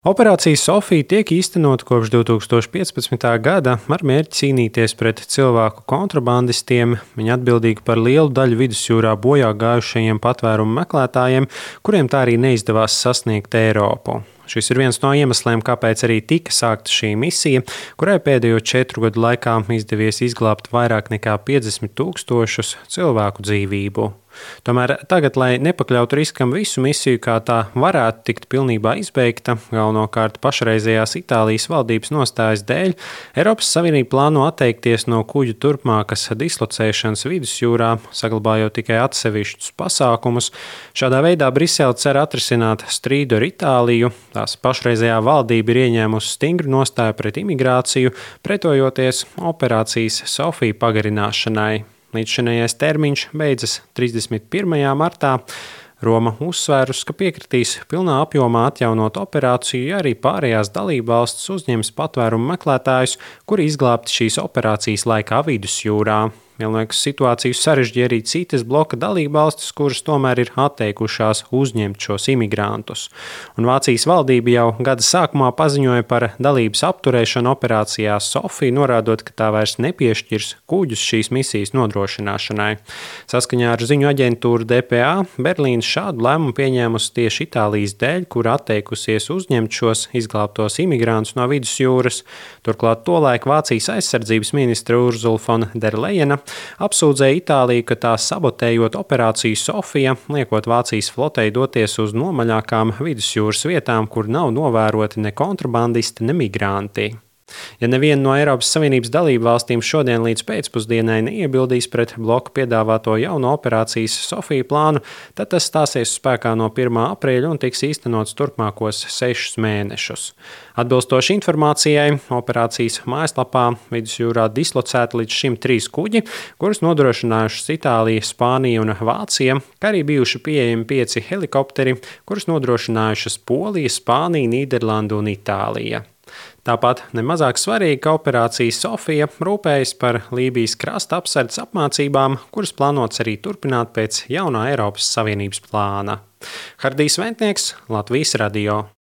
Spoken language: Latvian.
Operācija Sofija tiek īstenota kopš 2015. gada ar mērķi cīnīties pret cilvēku kontrabandistiem. Viņi atbildīgi par lielu daļu vidusjūrā bojā gājušajiem patvērumu meklētājiem, kuriem tā arī neizdevās sasniegt Eiropu. Šis ir viens no iemesliem, kāpēc arī tika sākta šī misija, kurai pēdējo 4 gadu laikā izdevies izglābt vairāk nekā 50 000 cilvēku dzīvību. Tomēr tagad, lai nepakļautu riskam visu misiju, kā tā varētu tikt pilnībā izbeigta, galvenokārt pašreizējās Itālijas valdības nostājas dēļ, Eiropas Savienība plāno atteikties no kuģu turpmākas dislocēšanas vidusjūrā, saglabājot tikai atsevišķus pasākumus. Šādā veidā Brisele cer atrisināt strīdu ar Itāliju. Tās pašreizējā valdība ir ieņēmusi stingru nostāju pret imigrāciju, pretojoties operācijas Sofija pagarināšanai. Līdzšinējais termiņš beidzas 31. martā. Roma uzsvērus, ka piekritīs pilnā apjomā atjaunot operāciju, ja arī pārējās dalībvalstis uzņems patvērumu meklētājus, kuri izglābti šīs operācijas laikā vidusjūrā. Vienlaikus situāciju sarežģīja arī citas bloka dalībvalstis, kuras tomēr ir atteikušās uzņemt šos imigrantus. Un Vācijas valdība jau gada sākumā paziņoja par dalības apturēšanu operācijā Sofija, norādot, ka tā vairs nepiešķirs kuģus šīs misijas nodrošināšanai. Saskaņā ar ziņu aģentūru DPA Berlīne šādu lēmumu pieņēmusi tieši Itālijas dēļ, kur atteikusies uzņemt šos izglābtos imigrantus no vidusjūras. Turklāt tolaik Vācijas aizsardzības ministre Ursula von der Leyena apsūdzēja Itāliju, ka tā sabotējot operāciju Sofija, liekot Vācijas flotei doties uz nomaļākām vidusjūras vietām, kur nav novēroti ne kontrabandisti, ne migranti. Ja neviena no Eiropas Savienības dalību valstīm šodien līdz pēcpusdienai neiebildīs pret bloku piedāvāto jauno operācijas Sofija plānu, tad tas stāsies spēkā no 1. aprīļa un tiks īstenots turpmākos 6 mēnešus. Atbilstoši informācijai, operācijas mājaslapā vidusjūrā dislocēti līdz šim 3 kuģi, kurus nodrošinājušas Itālija, Spānija un Vācija, kā arī bijuši pieejami 5 helikopteri, kurus nodrošinājušas Polija, Spānija, Nīderlanda un Itālija. Tāpat nemazāk svarīgi, ka operācija Sofija rūpējas par Lībijas krasta apsardzes apmācībām, kuras plānots arī turpināt pēc jaunā Eiropas Savienības plāna. Hardijs Ventnieks, Latvijas radio.